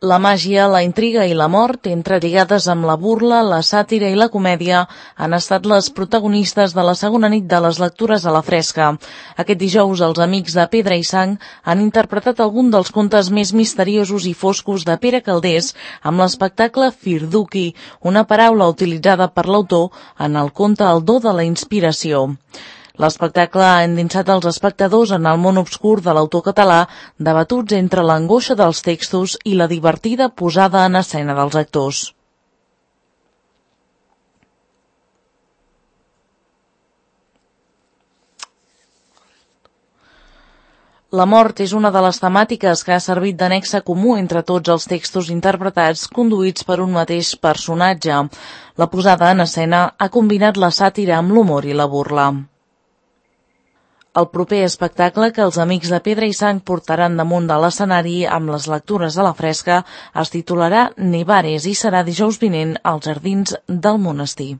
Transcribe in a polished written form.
La màgia, la intriga i la mort, entrelligades amb la burla, la sàtira i la comèdia, han estat les protagonistes de la segona nit de les lectures a la fresca. Aquest dijous, els amics de Pedra i Sang han interpretat algun dels contes més misteriosos i foscos de Pere Calders amb l'espectacle Firduki, una paraula utilitzada per l'autor en el conte El do de la inspiració. L'espectacle ha endinsat els espectadors en el món obscur de l'autor català, debatuts entre l'angoixa dels textos i la divertida posada en escena dels actors. La mort és una de les temàtiques que ha servit de nexe comú entre tots els textos interpretats conduïts per un mateix personatge. La posada en escena ha combinat la sàtira amb l'humor i la burla. El proper espectacle que els amics de Pedra i Sang portaran damunt de l'escenari amb les lectures a la fresca es titularà Nevares i serà dijous vinent als Jardins del Monestir.